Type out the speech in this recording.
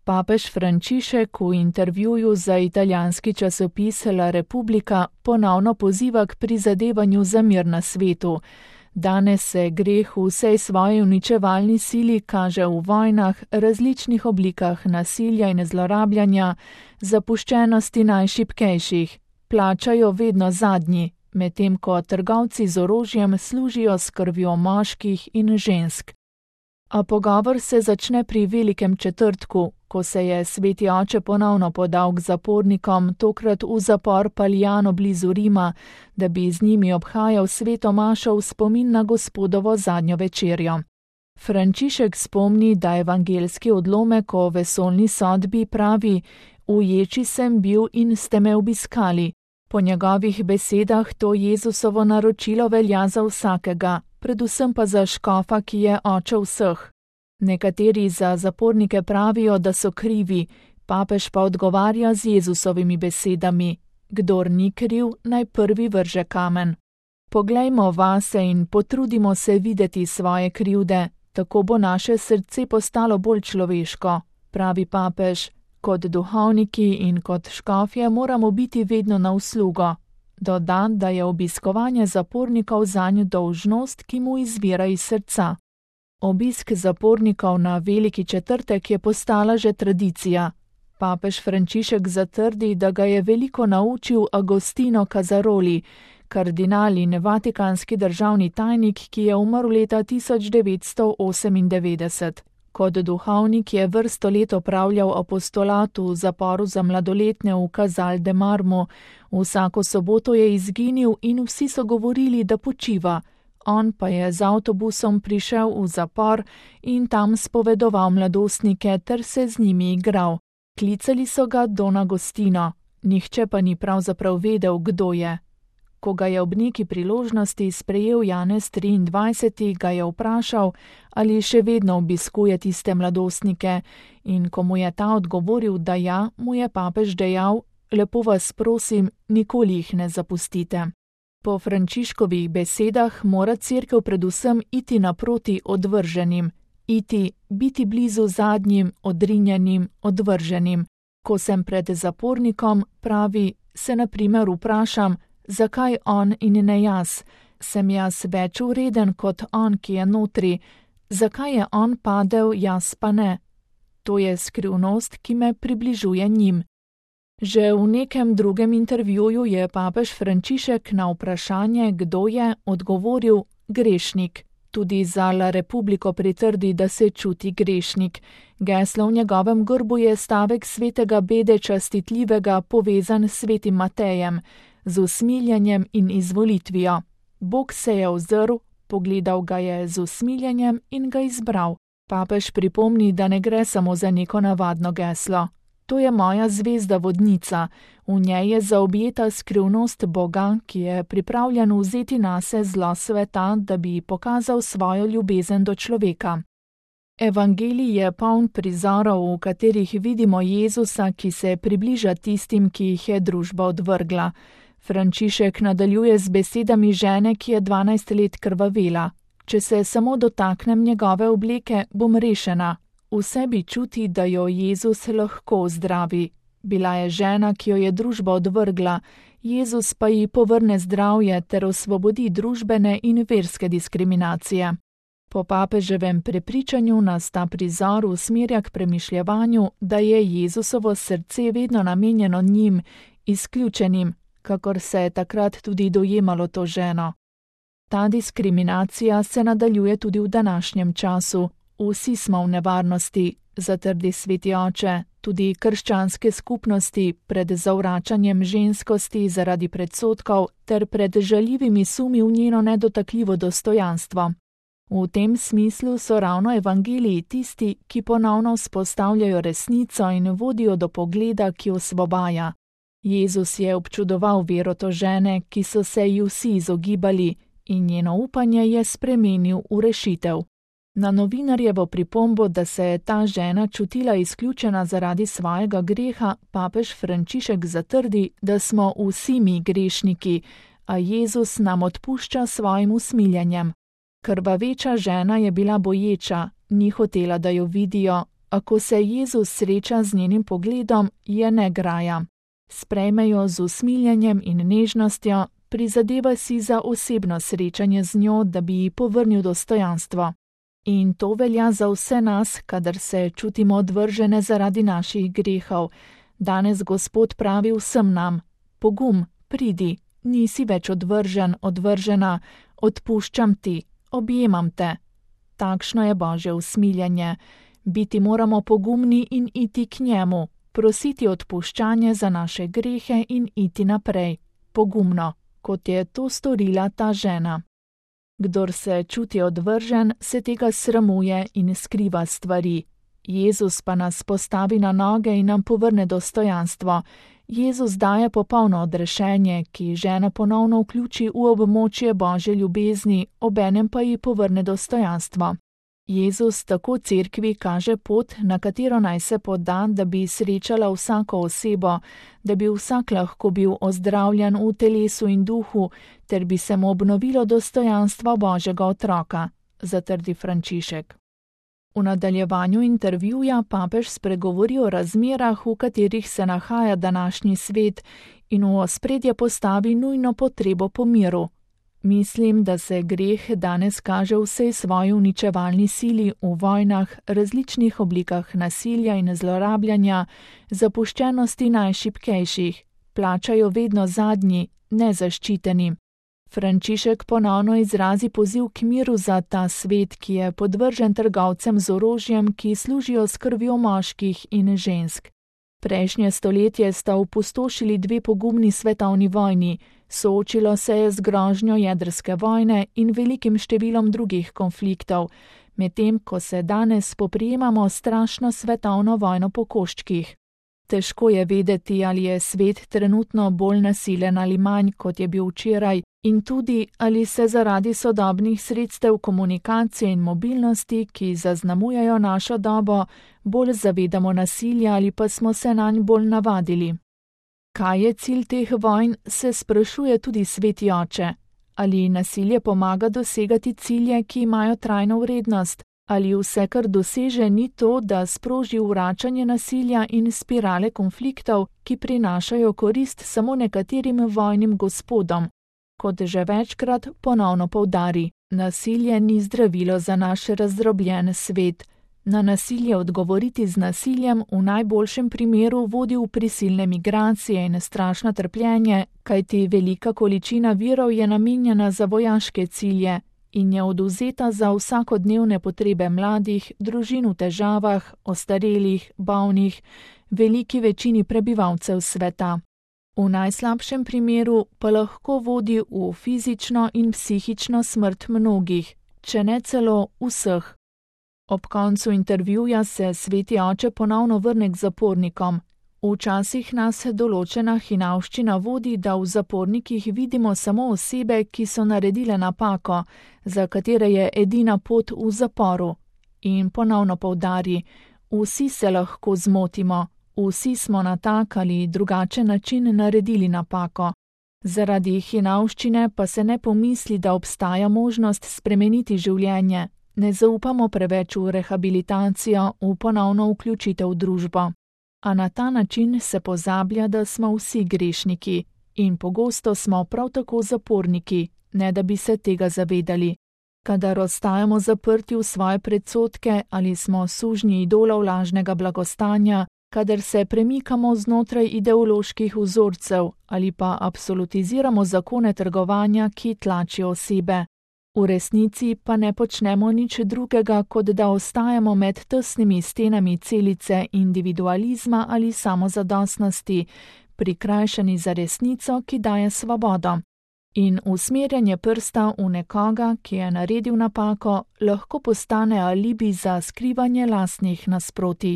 Papež Frančišek v intervjuju za italijanski časopis La Repubblica ponovno poziva k prizadevanju za mir na svetu. Danes se greh v vsej svoji uničevalni sili kaže v vojnah, različnih oblikah nasilja in zlorabljanja, zapuščenosti najšibkejših. Plačajo vedno zadnji, medtem ko trgovci z orožjem služijo s krvjo moških in žensk. A pogovor se začne pri Velikem četrtku, ko se je sveti oče ponovno podal k zapornikom, tokrat v zapor Paljano blizu Rima, da bi z njimi obhajal sveto mašo v spomin na Gospodovo zadnjo večerjo. Frančišek spomni, da evangeljski odlomek o vesoljni sodbi pravi: "V ječi sem bil in ste me obiskali." Po njegovih besedah to Jezusovo naročilo velja za vsakega, predvsem pa za škofa, ki je oče vseh. Nekateri za zapornike pravijo, da so krivi, papež pa odgovarja z Jezusovimi besedami: "Kdor ni kriv, naj prvi vrže kamen." Poglejmo vase in potrudimo se videti svoje krivde, tako bo naše srce postalo bolj človeško, pravi papež. Kot duhovniki in kot škofje moramo biti vedno na uslugo. Doda, da je obiskovanje zapornikov zanj dolžnost, ki mu izvira iz srca. Obisk zapornikov na Veliki četrtek je postala že tradicija. Papež Frančišek zatrdi, da ga je veliko naučil Agostino Casaroli, kardinal in vatikanski državni tajnik, ki je umrl leta 1998. Kot duhovnik je vrsto let opravljal apostolat v zaporu za mladoletne v Casal de Marmo. Vsako soboto je izginil in vsi so govorili, da počiva. On pa je z avtobusom prišel v zapor in tam spovedoval mladostnike ter se z njimi igral. Klicali so ga Don Agostino, nihče pa ni pravzaprav vedel, kdo je. Ko ga je ob neki priložnosti sprejel Janez 23., ga je vprašal, ali še vedno obiskuje tiste mladostnike, in ko mu je ta odgovoril, da ja, mu je papež dejal: "Lepo vas prosim, nikoli jih ne zapustite." Po Frančiškovih besedah mora cerkev predvsem iti naproti odvrženim, biti blizu zadnjim, odrinjenim, odvrženim. Ko sem pred zapornikom, pravi, se na primer vprašam, zakaj on in ne jaz? Sem jaz več vreden kot on, ki je notri? Zakaj je on padel, jaz pa ne? To je skrivnost, ki me približuje njim. Že v nekem drugem intervjuju je papež Frančišek na vprašanje, kdo je, odgovoril: grešnik. Tudi za La Repubblico pritrdi, da se čuti grešnik. Geslo v njegovem grbu je stavek svetega Bede Častitljivega, povezan s svetim Matejem, z usmiljenjem in izvolitvijo. Bog se je ozrl, pogledal ga je z usmiljenjem in ga izbral. Papež pripomni, da ne gre samo za neko navadno geslo. To je moja zvezda vodnica, v njej je zaobjeta skrivnost Boga, ki je pripravljen vzeti nase zlo sveta, da bi pokazal svojo ljubezen do človeka. Evangelij je poln prizorov, v katerih vidimo Jezusa, ki se približa tistim, ki jih je družba odvrgla. Frančišek nadaljuje z besedami žene, ki je 12 let krvavela: "Če se samo dotaknem njegove obleke, bom rešena." V sebi čuti, da jo Jezus lahko zdravi. Bila je žena, ki jo je družba odvrgla, Jezus pa ji povrne zdravje ter osvobodi družbene in verske diskriminacije. Po papeževem prepričanju nas ta prizor usmerja k premišljevanju, da je Jezusovo srce vedno namenjeno njim, izključenim, kakor se je takrat tudi dojemalo to ženo. Ta diskriminacija se nadaljuje tudi v današnjem času. Vsi smo v nevarnosti, zatrdi sveti oče, tudi krščanske skupnosti pred zavračanjem ženskosti zaradi predsodkov ter pred žaljivimi sumi v njeno nedotakljivo dostojanstvo. V tem smislu so ravno evangeliji tisti, ki ponovno vzpostavljajo resnico in vodijo do pogleda, ki osvobaja. Jezus je občudoval vero to žene, ki so se ji vsi izogibali, in njeno upanje je spremenil v rešitev. Na novinarjevo pripombo, da se je ta žena čutila izključena zaradi svojega greha, papež Frančišek zatrdi, da smo vsi mi grešniki, a Jezus nam odpušča svojim usmiljenjem. Krvaveča žena je bila boječa, ni hotela, da jo vidijo, a ko se Jezus sreča z njenim pogledom, je ne graja. Sprejme jo z usmiljenjem in nežnostjo, prizadeva si za osebno srečanje z njo, da bi ji povrnil dostojanstvo. In to velja za vse nas, kadar se čutimo odvržene zaradi naših grehov. Danes Gospod pravi vsem nam: pogum, pridi, nisi več odvržen, odvržena, odpuščam ti, objemam te. Takšno je Božje usmiljenje. Biti moramo pogumni in iti k njemu, prositi odpuščanje za naše grehe in iti naprej, pogumno, kot je to storila ta žena. Kdor se čuti odvržen, se tega sramuje in skriva stvari. Jezus pa nas postavi na noge in nam povrne dostojanstvo. Jezus daje popolno odrešenje, ki ženo ponovno vključi v območje Božje ljubezni, obenem pa ji povrne dostojanstvo. Jezus tako cerkvi kaže pot, na katero naj se poda, da bi srečala vsako osebo, da bi vsak lahko bil ozdravljen v telesu in duhu, ter bi se mu obnovilo dostojanstvo Božjega otroka, zatrdi Frančišek. V nadaljevanju intervjuja papež spregovori o razmerah, v katerih se nahaja današnji svet, in v ospredje postavi nujno potrebo po miru. Mislim, da se greh danes kaže v vsej svoji uničevalni sili v vojnah, različnih oblikah nasilja in zlorabljanja, zapuščenosti najšibkejših, plačajo vedno zadnji, nezaščiteni. Frančišek ponovno izrazi poziv k miru za ta svet, ki je podvržen trgovcem z orožjem, ki služijo s krvjo moških in žensk. Prejšnje stoletje sta opustošili dve pogumni svetovni vojni, soočilo se je z grožnjo jedrske vojne in velikim številom drugih konfliktov, medtem ko se danes spoprijemamo s strašno svetovno vojno po koščkih. Težko je vedeti, ali je svet trenutno bolj nasilen ali manj, kot je bil včeraj, in tudi, ali se zaradi sodobnih sredstev komunikacije in mobilnosti, ki zaznamujejo našo dobo, bolj zavedamo nasilja ali pa smo se nanj bolj navadili. Kaj je cilj teh vojn, se sprašuje tudi Sveti Oče. Ali nasilje pomaga dosegati cilje, ki imajo trajno vrednost? Ali vse, kar doseže, ni to, da sproži vračanje nasilja in spirale konfliktov, ki prinašajo korist samo nekaterim vojnim gospodom? Kot že večkrat ponovno poudari, nasilje ni zdravilo za naš razdrobljen svet. Na nasilje odgovoriti z nasiljem v najboljšem primeru vodi v prisilne migracije in strašno trpljenje, kajti velika količina virov je namenjena za vojaške cilje in je odvzeta za vsakodnevne potrebe mladih, družin v težavah, ostarelih, bolnih, veliki večini prebivalcev sveta. V najslabšem primeru pa lahko vodi v fizično in psihično smrt mnogih, če ne celo vseh. Ob koncu intervjuja se Sveti Oče ponovno vrne k zapornikom. Včasih nas določena hinavščina vodi, da v zapornikih vidimo samo osebe, ki so naredile napako, za katere je edina pot v zaporu. In ponovno poudari, vsi se lahko zmotimo, vsi smo na tak ali drugačen način naredili napako. Zaradi hinavščine pa se ne pomisli, da obstaja možnost spremeniti življenje. Ne zaupamo preveč v rehabilitacijo, v ponovno vključitev v družbo. A na ta način se pozablja, da smo vsi grešniki in pogosto smo prav tako zaporniki, ne da bi se tega zavedali. Kadar ostajamo zaprti v svoje predsodke ali smo sužnji idolov lažnega blagostanja, kadar se premikamo znotraj ideoloških vzorcev ali pa absolutiziramo zakone trgovanja, ki tlačijo osebe. V resnici pa ne počnemo nič drugega, kot da ostajamo med tesnimi stenami celice individualizma ali samozadostnosti, prikrajšani za resnico, ki daje svobodo. In usmerjanje prsta v nekoga, ki je naredil napako, lahko postane alibi za skrivanje lastnih nasprotij.